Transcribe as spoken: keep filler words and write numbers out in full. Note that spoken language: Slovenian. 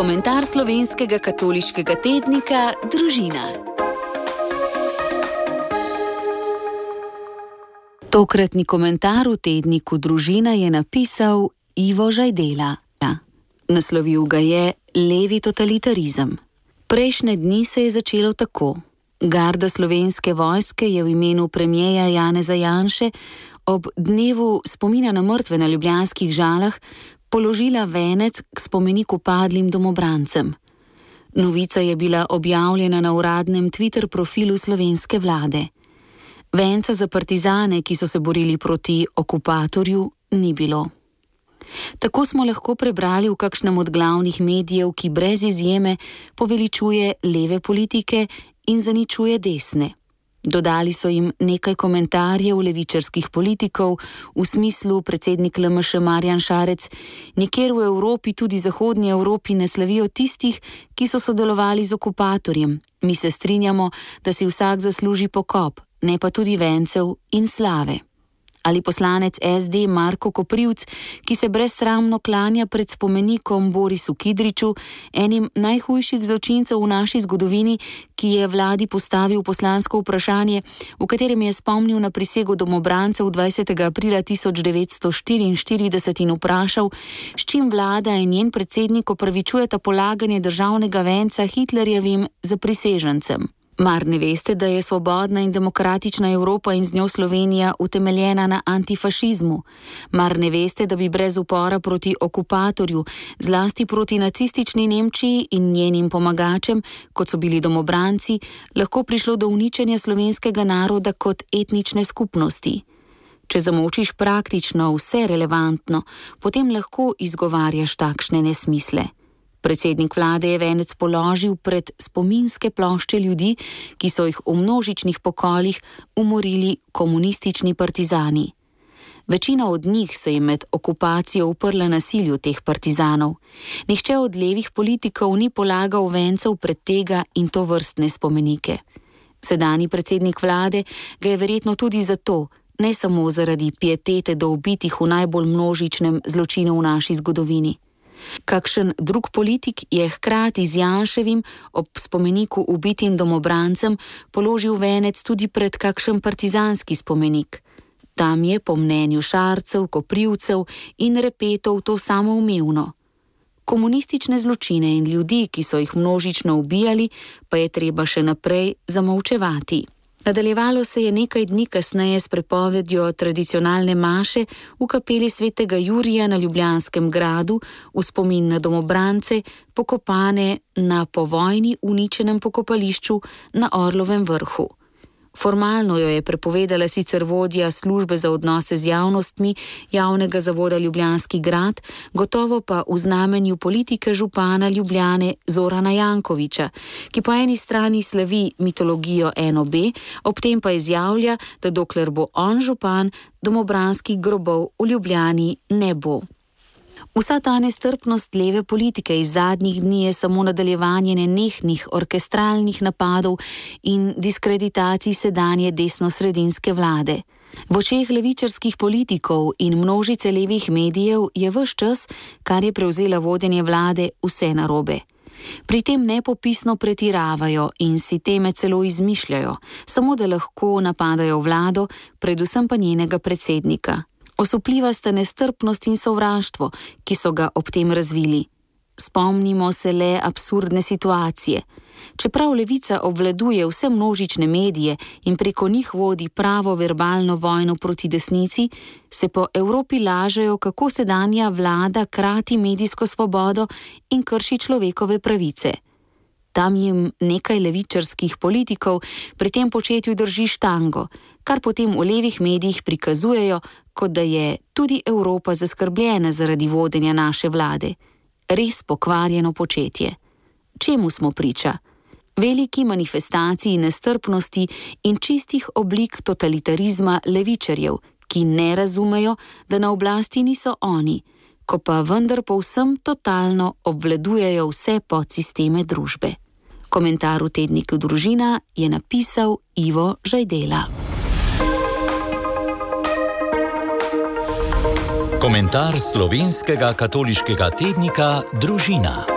Komentar slovenskega katoliškega tednika Družina. Tokratni komentar v tedniku Družina je napisal Ivo Žajdela. Naslovil ga je Levi totalitarizem. Prejšnje dni se je začelo tako. Garda slovenske vojske je v imenu premierja Janeza Janše ob dnevu spomina na mrtve na ljubljanskih Žalah položila venec k spomeniku padlim domobrancem. Novica je bila objavljena na uradnem Twitter profilu slovenske vlade. Venca za partizane, ki so se borili proti okupatorju, ni bilo. Tako smo lahko prebrali v kakšnem od glavnih medijev, ki brez izjeme poveličuje leve politike in zaničuje desne. Dodali so jim nekaj komentarjev levičarskih politikov v smislu predsednik L M Š Marjan Šarec, nikjer v Evropi, tudi zahodnji Evropi, ne slavijo tistih, ki so sodelovali z okupatorjem. Mi se strinjamo, da si vsak zasluži pokop, ne pa tudi vencev in slave. Ali poslanec S D Marko Koprivc, ki se brezsramno klanja pred spomenikom Borisu Kidriču, enim najhujših zločincev v naši zgodovini, ki je vladi postavil poslansko vprašanje, v katerem je spomnil na prisego domobrancev dvajsetega aprila tisoč devetsto štiriinštirideset in vprašal, s čim vlada in njen predsednik opravičujeta polaganje državnega venca Hitlerjevim zaprisežencem. Mar ne veste, da je svobodna in demokratična Evropa in z njo Slovenija utemeljena na antifašizmu? Mar ne veste, da bi brez upora proti okupatorju, zlasti proti nacistični Nemčiji in njenim pomagačem, kot so bili domobranci, lahko prišlo do uničenja slovenskega naroda kot etnične skupnosti? Če zamočiš praktično vse relevantno, potem lahko izgovarjaš takšne nesmisle. Predsednik vlade je venec položil pred spominske plošče ljudi, ki so jih v množičnih pokolih umorili komunistični partizani. Večina od njih se je med okupacijo uprla nasilju teh partizanov. Nihče od levih politikov ni polagal vencev pred tega in to vrstne spomenike. Sedanji predsednik vlade ga je verjetno tudi zato, ne samo zaradi pietete do ubitih v najbolj množičnem zločinu v naši zgodovini. Kakšen drug politik je hkrati z Janševim ob spomeniku ubitim domobrancem položil venec tudi pred kakšen partizanski spomenik. Tam je po mnenju Šarcev, Koprivcev in Repetov to samoumevno. Komunistične zločine in ljudi, ki so jih množično ubijali, pa je treba še naprej zamolčevati. Nadaljevalo se je nekaj dni kasneje s prepovedjo tradicionalne maše v kapeli svetega Jurija na Ljubljanskem gradu v spomin na domobrance, pokopane na po vojni uničenem pokopališču na Orlovem vrhu. Formalno jo je prepovedala sicer vodja službe za odnose z javnostmi javnega zavoda Ljubljanski grad, gotovo pa v znamenju politike župana Ljubljane Zorana Jankovića, ki po eni strani slavi mitologijo N O B, ob tem pa izjavlja, da dokler bo on župan, domobranskih grobov v Ljubljani ne bo. Vsa ta nestrpnost leve politike iz zadnjih dni je samo nadaljevanje nenehnih orkestralnih napadov in diskreditacij sedanje desnosredinske vlade. V očeh levičarskih politikov in množice levih medijev je ves čas, kar je prevzela vodenje vlade, vse narobe. Pri tem nepopisno pretiravajo in si teme celo izmišljajo, samo da lahko napadajo vlado, predvsem pa njenega predsednika. Osupljiva sta nestrpnost in sovraštvo, ki so ga ob tem razvili. Spomnimo se le absurdne situacije. Čeprav levica obvladuje vse množične medije in preko njih vodi pravo verbalno vojno proti desnici, se po Evropi lažejo, kako sedanja vlada krati medijsko svobodo in krši človekove pravice. Tam jim nekaj levičarskih politikov pri tem početju drži štango, kar potem v levih medijih prikazujejo, kot da je tudi Evropa zaskrbljena zaradi vodenja naše vlade. Res pokvarjeno početje. Čemu smo priča? Veliki manifestaciji nestrpnosti in čistih oblik totalitarizma levičarjev, ki ne razumejo, da na oblasti niso oni, ko pa vendar povsem totalno obvladujejo vse podsisteme družbe. Komentar v tedniku Družina je napisal Ivo Žajdela. Komentar slovenskega katoliškega tednika Družina.